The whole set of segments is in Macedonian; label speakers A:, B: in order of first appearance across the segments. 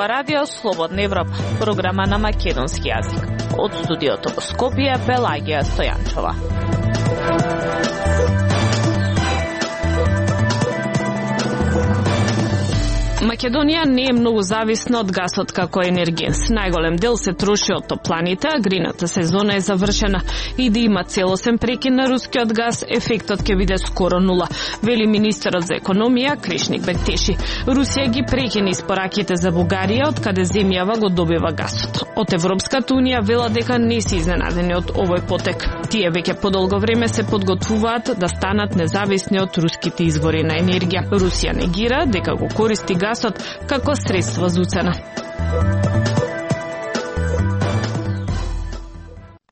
A: ова радио Слободна Европа, програма на македонски јазик. Од студиото во Скопје, Пелагија Стојанчова. Македонија не е многу зависна од гасот како енергенс. Најголем дел се троши од топланите, а грејната сезона е завршена. И да има целосен прекин на рускиот газ, ефектот ќе биде скоро нула, вели министерот за економија Кришник Бектеши. Русија ги прекина испораките за Бугарија, од каде земјава го добива гасот. Од Европската унија вела дека не се изненадени од овој потек. Тие веќе подолго време се подготвуваат да станат независни од руските извори на енергија. Русија негира дека го користи гасот како средство за уцена.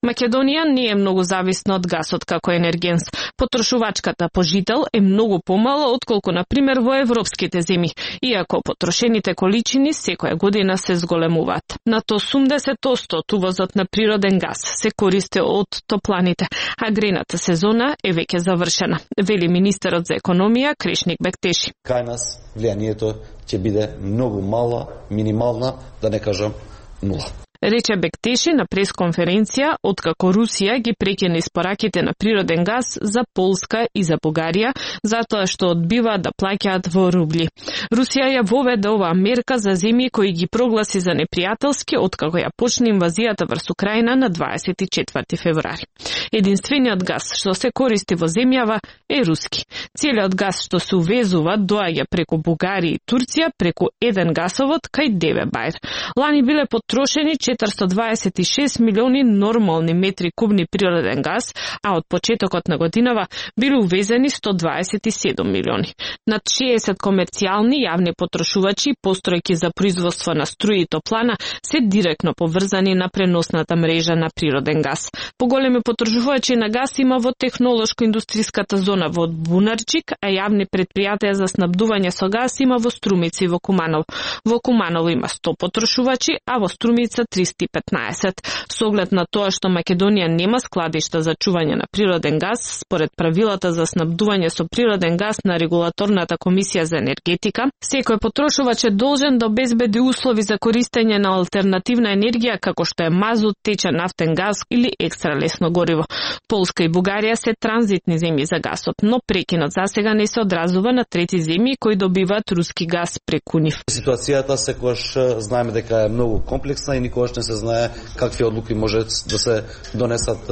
A: Македонија не е многу зависна од гасот како енергенс. Потрошувачката по жител е многу помала отколку на пример во европските земји, иако потрошените количини секоја година се зголемуваат. Над 80% од увозот на природен газ се користи од топланите, а грејната сезона е веќе завршена, вели министерот за економија Кришник Бектеши.
B: Кај нас влијанието ќе биде многу мала, минимална, да не кажам нула.
A: Рече Бектеши на пресконференција откако Русија ги прекина испораките на природен газ за Полска и за Бугарија, затоа што одбива да плаќаат во рубли. Русија ја воведе оваа мерка за земји кои ги прогласи за непријателски откако ја почна инвазијата врз Украина на 24 февруари. Единствениот газ што се користи во земјава е руски. Целиот газ што се увезува доаѓа преку Бугарија и Турција преку еден гасовод кај Девебајр. Лани биле потрошени 426 милиони нормални метри кубни природен газ, а од почетокот на годинава биле увезени 127 милиони. Над 60 комерцијални јавни потрошувачи, постројки за производство на струја и топлана, се директно поврзани на преносната мрежа на природен газ. Поголеми потрошувачи на газ има во технолошко-индустријската зона во Бунарчик, а јавни предпријатија за снабдување со газ има во Струмица и во Куманово. Во Куманово има 100 потрошувачи, а во Струмица 315. Со оглед на тоа што Македонија нема складишта за чување на природен газ, според правилата за снабдување со природен газ на Регулаторната комисија за енергетика, секој потрошувач е должен да обезбеди услови за користење на алтернативна енергија како што е мазут, течен нафтен газ или екстра лесно гориво. Полска и Бугарија се транзитни земји за гасот, но прекинот засега не се одразува на трети земји кои добиваат руски газ преку нив.
B: Ситуацијата секогаш знаеме дека е многу комплексна и никогаш не се знае какви одлуки може да се донесат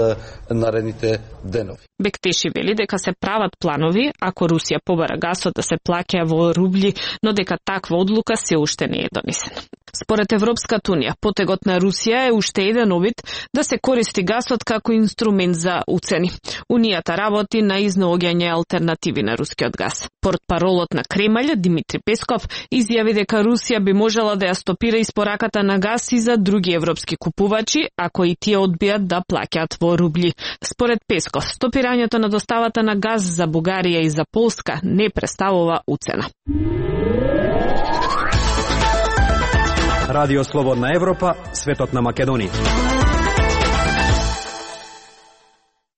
B: наредните денови.
A: Бектеши вели дека се прават планови ако Русија побара гасот да се плаќа во рубли, но дека таква одлука се уште не е донесена. Според Европската унија, потегот на Русија е уште еден обид да се користи гасот како инструмент за уцени. Унијата работи на изнаоѓање алтернативи на рускиот газ. Портпаролот на Кремљ, Димитри Песков, изјави дека Русија би можела да ја стопира испораката на газ и за други европски купувачи, ако и тие одбијат да плаќаат во рубли. Според Песков, стопирањето на доставата на газ за Бугарија и за Полска не представува уцена.
C: Радио Слободна Европа, светот на Македонија.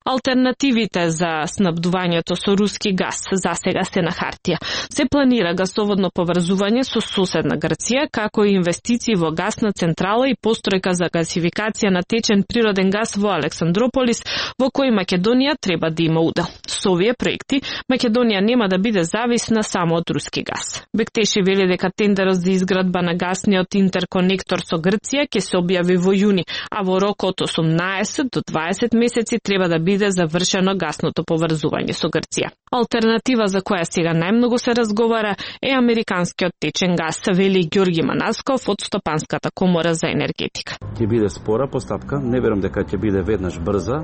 A: Алтернативите за снабдувањето со руски газ засега се на хартија. Се планира гасоводно поврзување со соседна Грција, како и инвестиции во гасна централа и постројка за гасификација на течен природен газ во Александрополис, во кој Македонија треба да има удел. Со овие проекти, Македонија нема да биде зависна само од руски газ. Бектеши вели дека тендерот за изградба на гасниот интерконектор со Грција ќе се објави во јуни, а во рок од 18 до 20 месеци треба да биде завршено гасното поврзување со Грција. Алтернатива за која сега најмногу се разговара е американскиот течен газ, вели Ѓорги Манасков од Стопанската комора за енергетика.
D: Ќе биде спора постапка, не верам дека ќе биде веднаш брза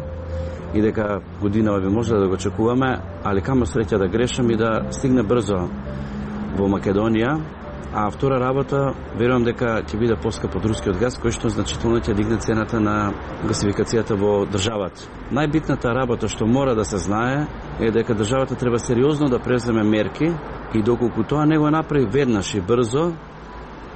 D: и дека годинава би може да го очекуваме, али камо среќа да грешам и да стигне брзо во Македонија. А втора работа, верувам дека ќе биде поскап од рускиот газ, кој што значително ќе дигне цената на гасификацијата во државата. Најбитната работа што мора да се знае е дека државата треба сериозно да преземе мерки и доколку тоа не го направи веднаш и брзо,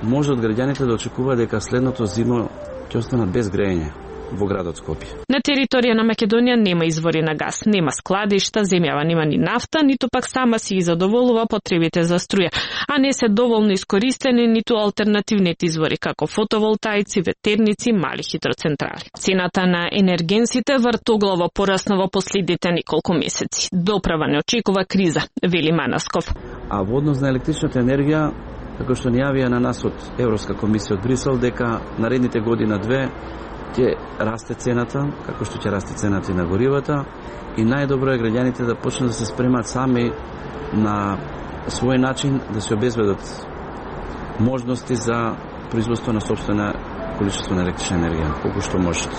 D: може од граѓаните да очекува дека следното зимо ќе останат без грејење. во градот Скопје.
A: На територија на Македонија нема извори на гас, нема складишта, земјава нема ни нафта, ниту пак сама си ги задоволува потребите за струја, а не се доволно искористени ниту алтернативните извори како фотоволтаици, ветерници, мали хидроцентрали. Цената на енергенсите вртоглаво порасна во последните неколку месеци. Доправа не очекува криза, вели Манасков.
D: А во однос на електричната енергија, како што ни јавија на нас од Европска комисија од Брисел, дека наредните година-две ќе расте цената, како што ќе расте цената и на горивата, и најдобро е граѓаните да почнат да се спремат сами на свој начин да се обезбедат можности за производство на сопствена количество на електрична енергија, колку што можат.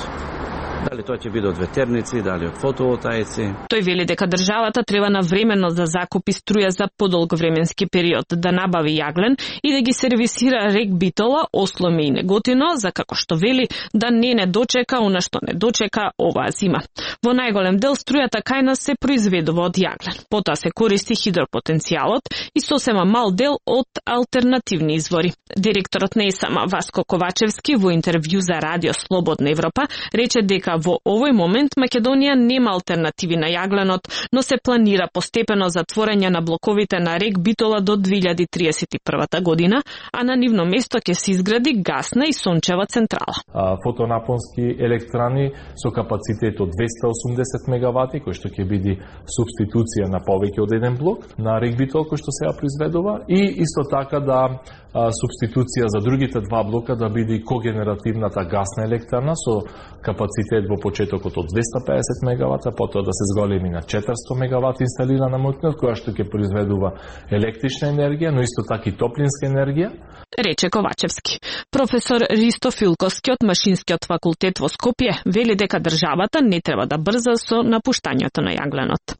D: Дали тоа ќе биде од ветерници, дали од фотоволтаици.
A: Тој вели дека државата треба навремено да закупи струја за подолг временски период, да набави јаглен и да ги сервисира рек Битола, Осломе и Неготино, за како што вели да не дочека она што не дочека оваа зима. Во најголем дел струјата кај нас се произведува од јаглен. Потоа се користи хидропотенцијалот и сосема мал дел од алтернативни извори. Директорот на ЕСАМ Васко Ковачевски во интервју за Радио Слободна Европа рече дека во овој момент Македонија нема алтернативи на јагленот, но се планира постепено затворање на блоковите на рек Битола до 2031 година, а на нивно место ќе се изгради гасна и сончева централа.
E: Фотонапонски електрани со капацитет од 280 мегавати, кој што ќе биде субституција на повеќе од еден блок на рек Битол кој што сега произведува, и исто така да субституција за другите два блока да биде когенеративната гасна електрана со капацитет во почетокот од 250 мегавата, потоа да се зголеми на 400 мегавати инсталирана моќност, која што ќе произведува електрична енергија, но исто така и топлинска енергија.
A: Рече Ковачевски. Професор Ристо Филковски од Машинскиот факултет во Скопје вели дека државата не треба да брза со напуштањето на јагленот.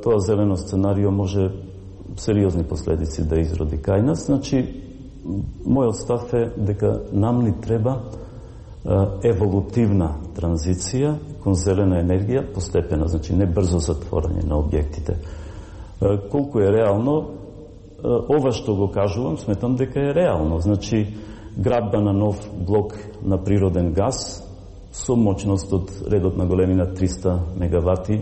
F: Тоа зелено сценарио може сериозни последици да изроди кај нас. Значи, мојот став е дека нам ни треба еволутивна транзиција кон зелена енергија постепена, значи не брзо затворање на објектите. Колку е реално, ова што го кажувам, сметам дека е реално. Значи, градба на нов блок на природен газ со моќност од редот на големина 300 мегавати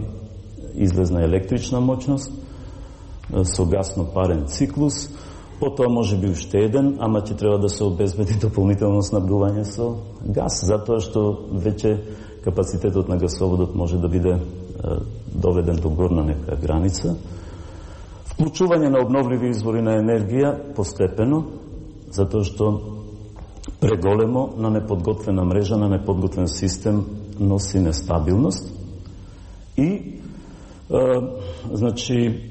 F: излезна електрична моќност, со гасно-парен циклус, потоа може би уште еден, ама ќе треба да се обезбеди дополнително снабдување со газ, затоа што веќе капацитетот на гасоводот може да биде доведен до горна нека граница. Вклучување на обновливи извори на енергија постепено, затоа што преголемо на неподготвена мрежа, на неподготвен систем носи нестабилност и значи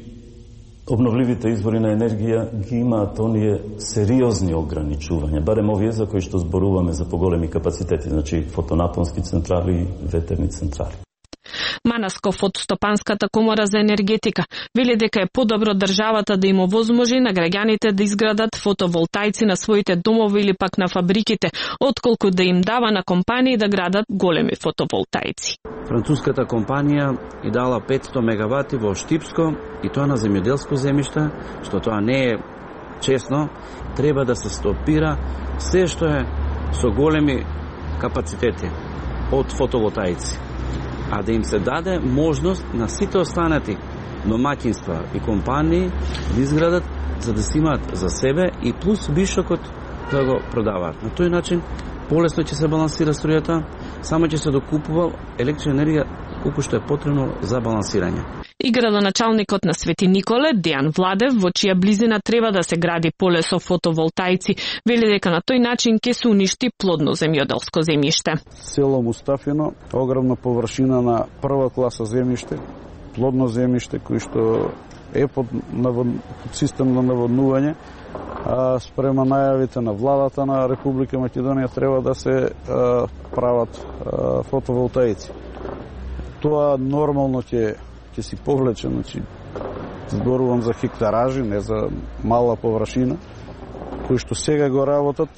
F: обновливите извори на енергија ги имаат оние сериозни ограничувања, барем овие за кои што зборуваме за поголеми капацитети, значи фотонапонски централи и ветерни централи.
A: Манасков од Стопанската комора за енергетика вели дека е подобро државата да им овозможи на граѓаните да изградат фотоволтаици на своите домови или пак на фабриките, отколку да им дава на компании да градат големи фотоволтаици.
D: Француската компанија и дала 500 мегавати во Штипско и тоа на земјоделско земјиште, што тоа не е честно, треба да се стопира се што е со големи капацитети од фотоволтаици, а да им се даде можност на сите останати домаќинства и компании да изградат за да си имаат за себе и плюс вишокот да го продаваат. На тој начин полесно ќе се балансира струјата, само ќе се докупува електрична енергија колку што е потребно за балансирање.
A: И градоначалникот на Свети Николе, Дејан Владев, во чија близина треба да се гради поле со фотоволтаици, вели дека на тој начин ќе се уништи плодно земјоделско земјиште.
G: Село Мустафино, огромна површина на прва класа земјиште, плодно земјиште кој што е под систем на наводнување, а спрема најавите на владата на Република Македонија треба да се прават фотоволтаици. Тоа нормално ќе си повлече, значи зборувам за хектаражи, не за мала површина, кои што сега го работат,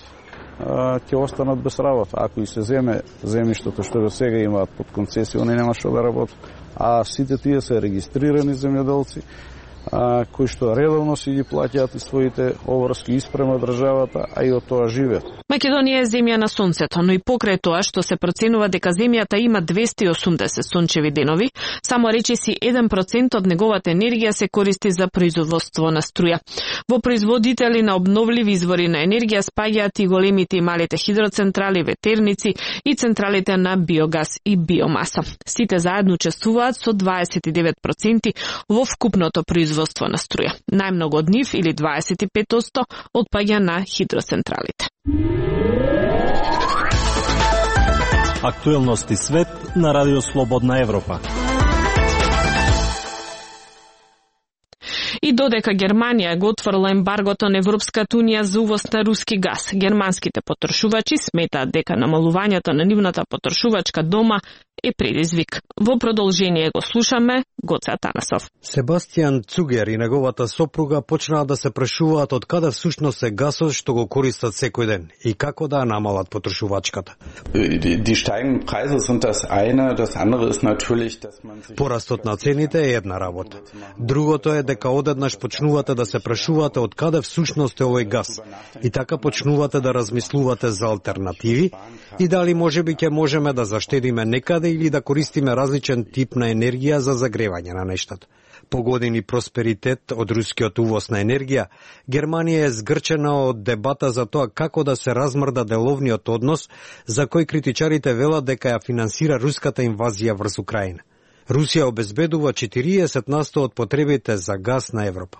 G: ќе останат без работа. Ако и се земе земјиштето што го сега имаат под концесија, они нема што да работат. А сите тие се регистрирани земјоделци, кои што редовно си ги плаќаат своите обврски испрема државата, а и од тоа живеат.
A: Македонија е земја на сонцето, но и покрај тоа што се проценува дека земјата има 280 сончеви денови, само речиси 1% од неговата енергија се користи за производство на струја. Во производители на обновливи извори на енергија спаѓаат и големите и малите хидроцентрали, ветерници и централите на биогаз и биомаса. Сите заедно учествуваат со 29% во вкупното производство на струја. Најмногу од нив, или 25%, отпаѓа на хидроцентралите.
H: Актуелности свет на Радио Слободна Европа.
A: И додека Германија го отворила ембаргото на Европската унија за увоз на руски газ, германските потрошувачи сметаат дека намалувањето на нивната потрошувачка дома е предизвик. Во продолжение го слушаме Гоце Атанасов.
C: Себастијан Цугер и неговата сопруга почнаа да се прашуваат од каде всушност е гасот што го користат секој ден и како да намалат потрошувачката. Порастот на цените е една работа. Другото е дека одеднаш почнувате да се прашувате од каде всушност е овој газ и така почнувате да размислувате за алтернативи и дали можеби ќе можеме да заштедиме некаде или да користиме различен тип на енергија за загревање на нештата. По години просперитет од рускиот увоз на енергија, Германија е згрчена од дебата за тоа како да се размрда деловниот однос за кој критичарите велат дека ја финансира руската инвазија врз Украина. Русија обезбедува 40% од потребите за газ на Европа.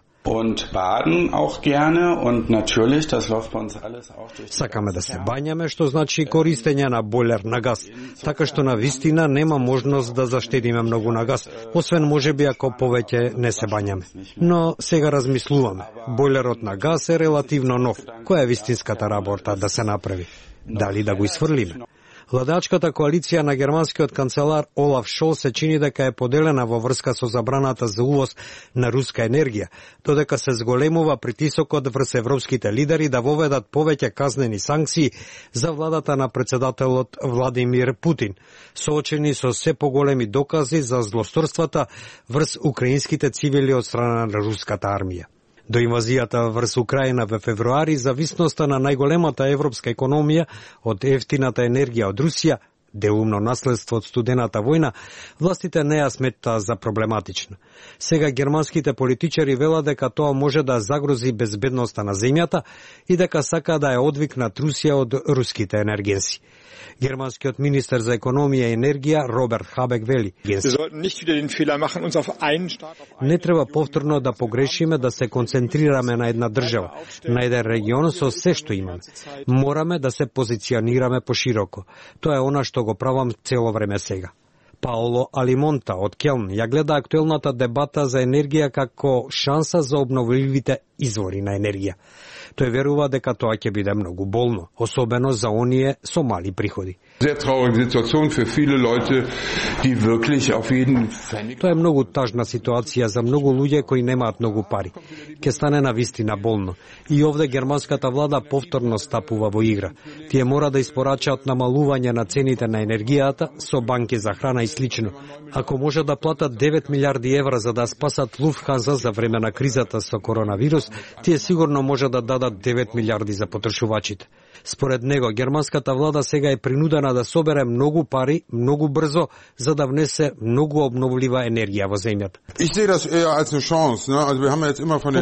C: Сакаме да се бањаме, што значи користење на бойлер на газ, така што на вистина нема можност да заштедиме многу на газ, освен можеби ако повеќе не се бањаме. Но сега размислуваме. Бойлерот на газ е релативно нов. Која е вистинската работа да се направи? Дали да го исфрлиме? Владачката коалиција на германскиот канцелар Олаф Шолц се чини дека е поделена во врска со забраната за увоз на руска енергија, додека се зголемува притисокот врз европските лидери да воведат повеќе казнени санкции за владата на председателот Владимир Путин, соочени со се поголеми докази за злосторствата врз украинските цивили од страна на руската армија. До инвазијата врз Украина во февруари, зависноста на најголемата европска економија од ефтината енергија од Русија, деумно наследство од студената војна, властите не ја сметаа за проблематична. Сега германските политичари велат дека тоа може да загрози безбедноста на земјата и дека сака да ја одвикнат Русија од руските енергенси. Германскиот министер за економија и енергија Роберт Хабек вели: не треба повторно да погрешиме да се концентрираме на една држава, на еден регион со се што имаме. Мораме да се позиционираме пошироко. Тоа е она што го правам цело време сега. Паоло Алимонта од Келн ја гледа актуелната дебата за енергија како шанса за обновливите извори на енергија. Тој верува дека тоа ќе биде многу болно, особено за оние со мали приходи. Тоа е многу тажна ситуација за многу луѓе кои немаат многу пари. Ке стане на вистина болно. И овде германската влада повторно стапува во игра. Тие мора да испорачаат намалување на цените на енергијата со банки за храна и слично. Ако може да платат 9 милиарди евра за да спасат Луфтханза за време на кризата со коронавирус, тие сигурно може да дадат 9 милиарди за потрошувачите. Според него, германската влада сега е принудена да собере многу пари, многу брзо, за да внесе многу обновлива енергија во земјата.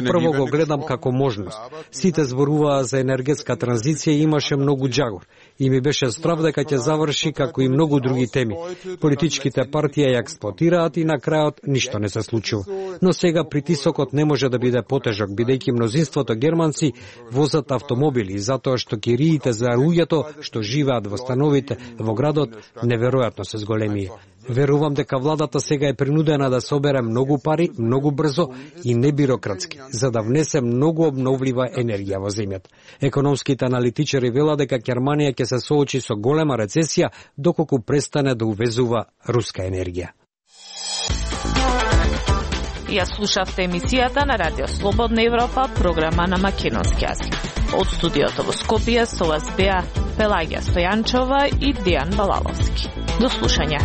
C: Прво го гледам како можност. Сите зборуваа за енергетска транзиција и имаше многу џагор. И ми беше страв дека ќе заврши како и многу други теми. Политичките партии ја експлоатираат и на крајот ништо не се случува. Но сега притисокот не може да биде потежок, бидејќи мнозинството германци возат автомобили, затоа што кириите за луѓето што живеат во становите во градот неверојатно се зголемија. Верувам дека владата сега е принудена да собере многу пари, многу брзо и небирократски, за да внесе многу обновлива енергија во земјата. Економските аналитичари велат дека Германија ќе се соочи со голема рецесија доколку престане да увезува руска енергија.
A: Ја слушавте емисијата на Радио Слободна Европа, програма на македонски јазик. Од студиото во Скопје со вас беа Пелагија Стојанчова и Дијан Балаловски. До слушање.